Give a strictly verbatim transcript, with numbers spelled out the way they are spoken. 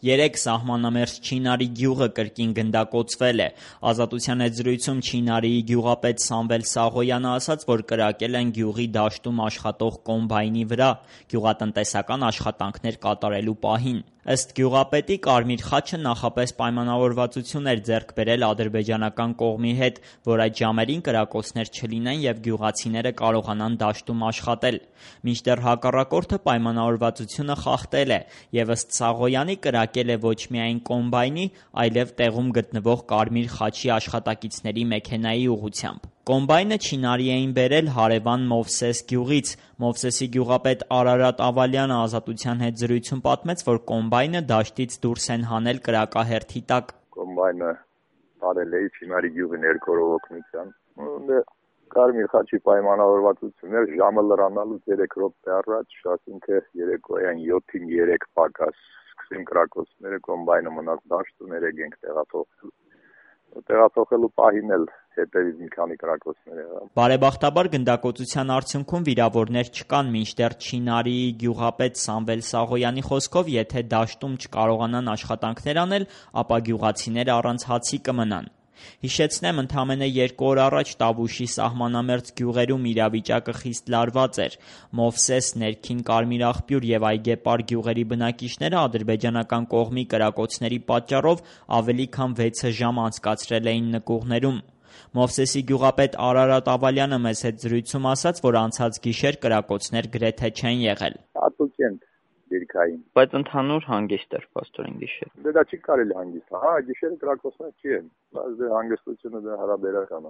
Երեկ սահմանամերձ Չինարի գյուղը կրկին գնդակոծվել է։ Ազատության հետ զրույցում Չինարիի գյուղապետ Սամվել Սաղոյանը ասաց, որ կրակել են գյուղի դաշտում աշխատող կոմբայնի վրա գյուղատնտեսական աշխատանքներ կատարելու պահին։ Ըստ գյուղապետի, Կարմիր խաչը նախապես պայմանավորվածություն էր ձեռք բերել ադրբեջանական կողմի հետ, որ այդ ժամերին կրակոցներ չլինեն և գյուղացիները կարողանան դաշտում աշխատել։ Մինչդեռ հակառակորդը պայմանավորվածությունը խախտել է և ըստ Սաղոյանի կրակել է ոչ միայն կոմբայնի, այլև տեղում գտնվող Կարմիր խաչի աշխատակիցների մեքենայի ուղղությամբ։ Կոմբայնը Չինարի էին բերել հարևան Մովսես գյուղից։ Մովսեսի գյուղապետ Արարատ Ավալյանը Ազատության հետ զրույցում պատմեց, որ կոմբայնը դաշտից դուրս են հանել կրակահերթի տակ։ Կոմբայնը տարել է Չինարի գյուղի ներքորով օգնությամբ։ Կարմիր խաչի պայմանավորվածություններ ժամը լրանալուց երեք րոպե առաջ, ասինքն երեկոյան յոթին երեք պակաս սկսին կրակոցները, կոմբայնը մնաց դաշտում, երեք ենք տեղափոխել։ Տեղափոխելու պահին էլ հետևից մի քանի կրակոցներ եղան։ Բարեբախտաբար գնդակոծության արդյունքում վիրավորներ չկան, մինչդեռ Չինարիի գյուղապետ Սամվել Սաղոյանի խոսքով, եթե դաշտում չկարողանան աշխատանքներ անել, ապա գյուղացիները առանց հացի կմնան։ Հիշեցնեմ, ընդամենը երկու օր առաջ Տավուշի սահմանամերձ գյուղերում իրավիճակը խիստ լարված էր։ Մովսես, Ներքին Կարմիր աղբյուր և Այգեպար գյուղերի բնակիչները ադրբեջանական կողմի կրակոցների պատճառով ավելի քան վեց ժամ անցկացրել էին նկուղներում։ Մովսեսի գյուղապետ Արարատ Ավալյանը մեզ հետ զրույցում ասաց, որ անցած գիշեր կրակոցներ գրեթե չեն եղել։ Հատուկ են դիրքային։ Բայց ընդհանուր հանգիստ էր փաստորեն գիշեր։ Դա չի կարելի հանգիստ։ Հա, գիշերը կրակոցներ չի են, բայց հանգստությունը դա հարաբերական է։